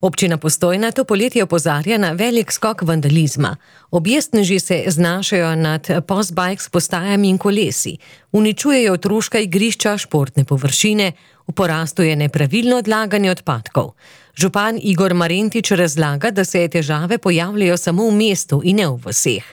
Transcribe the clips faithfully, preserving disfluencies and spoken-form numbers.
Občina Postojna to poletje opozarja na velik skok vandalizma. Objestneži se znašajo nad postbikes postajami in kolesi, uničujejo otroška igrišča, športne površine, v porastu je nepravilno odlaganje odpadkov. Župan Igor Marentič razlaga, da se težave pojavljajo samo v mestu in ne v vaseh,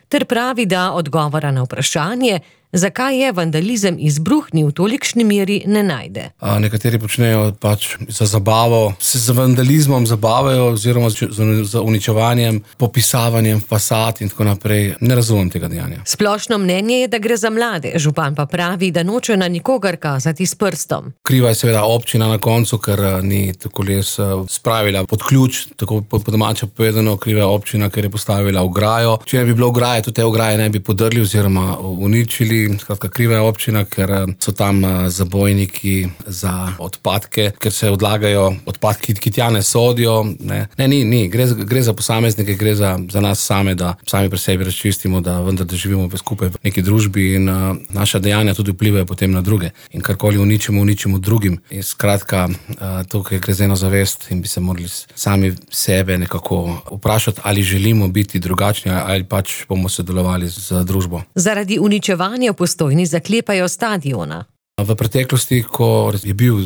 ter pravi, da odgovora na vprašanje, zakaj je vandalizem izbruhnil v tolikšni meri, ne najde. A nekateri počnejo pač za zabavo, se z vandalizmom zabavajo oziroma z uničevanjem, popisavanjem fasad in tako naprej. Ne razumem tega dejanja. Splošno mnenje je, da gre za mlade, župan pa pravi, da noče na nikogar kazati s prstom. Kriva je seveda občina na koncu, ker ni tako les spravila pod ključ, tako po domače povedano, kriva je občina, ker je postavila ograjo. Če ne bi bilo ograje, tudi te ograje ne bi podrli oziroma uničili. Skratka, kriva je občina, ker so tam zabojniki za odpadke, ker se odlagajo odpadki, ki tja ne sodijo. Ne, ne ni, ni. Gre, gre za posameznike, gre za, za nas same, da sami pri sebi razčistimo, da vendar da živimo skupaj v neki družbi in uh, naša dejanja tudi vplivajo potem na druge. In karkoli uničimo, uničimo drugim. In skratka, uh, tukaj gre za eno zavest in bi se morali sami sebe nekako vprašati, ali želimo biti drugačni ali pač bomo sodelovali z družbo. Zaradi uničevanja v Postojni zaklepajo stadiona. V preteklosti, ko je bil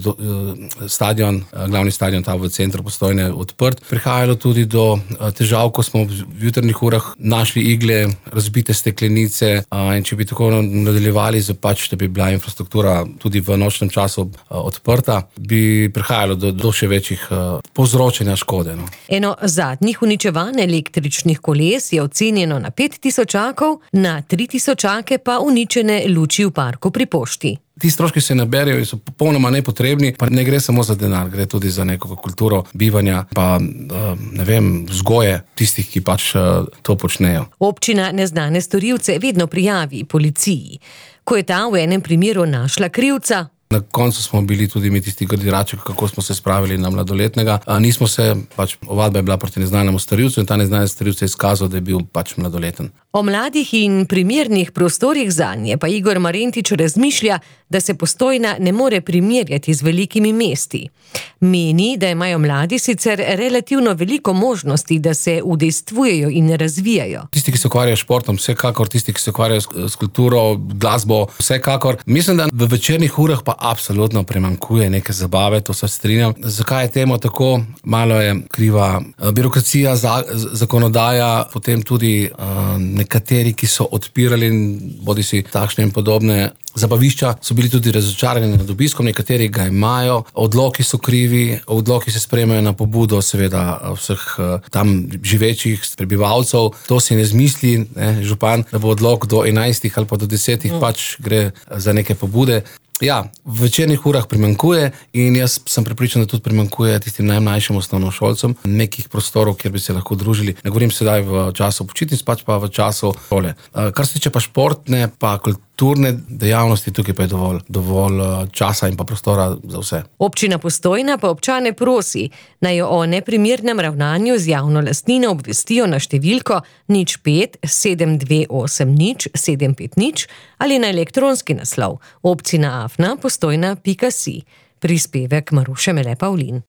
stadion, glavni stadion tam v centru Postojne odprt, prihajalo tudi do težav, ko smo v jutrnjih urah našli igle, razbite steklenice in če bi tako nadaljevali, pač, da bi bila infrastruktura tudi v nočnem času odprta, bi prihajalo do, do še večjih povzročanja škode. No. Eno zadnjih uničevanj električnih koles je ocenjeno na pet tisočakov, na tri tisočake pa uničene luči v parku pri pošti. Ti stroški se naberijo in so popolnoma nepotrebni, pa ne gre samo za denar, gre tudi za neko kulturo bivanja, pa ne vem, vzgoje tistih, ki pač to počnejo. Občina neznane storilce vedno prijavi policiji. Ko je ta v enem primeru našla krivca, na koncu smo bili tudi mi tisti grdirači, kako smo se spravili na mladoletnega. A nismo se, pač ovadba je bila proti neznanemu storilcu in ta neznani storilec je izkazal, da je bil pač mladoleten. O mladih in primernih prostorih zanje pa Igor Marentič razmišlja, da se Postojna ne more primerjati z velikimi mesti. Meni, da imajo mladi sicer relativno veliko možnosti, da se udejstvujejo in razvijajo. Tisti, ki se ukvarjajo s športom, vsekakor, tisti, ki se ukvarjajo s kulturo, glasbo, vsekakor. Mislim, da v večernih urah pa absolutno premankuje neke zabave, to se strinjam. Zakaj je temu tako? Malo je kriva birokracija, zakonodaja, potem tudi uh, nekateri, ki so odpirali bodi si takšne in podobne zabavišča, so bili tudi razočarani nad obiskom, nekateri ga imajo, odloki so krivi, odloki se sprejmejo na pobudo seveda vseh tam živečih prebivalcev, to si ne zmisli, ne, župan, da bo odlok do enajstih ali pa do desetih, mm. pač gre za neke pobude. Ja, v večernih urah primankuje in jaz sem prepričan, da tudi primankuje tistim najmlajšim osnovnošolcem nekih prostorov, kjer bi se lahko družili. Ne govorim sedaj v času počitnic, pač pa v času šole. Kar se tiče pa športne, pa kulturne dejavnosti, tukaj pa je dovolj, dovolj časa in pa prostora za vse. Občina Postojna pa občane prosi, naj o neprimernem ravnanju z javno lastnino obvestijo na številko nič pet sedem dve osem nič sedem pet nič ali na elektronski naslov obcina afna postojna pika si. Prispevek Maruše Mele Pavlin.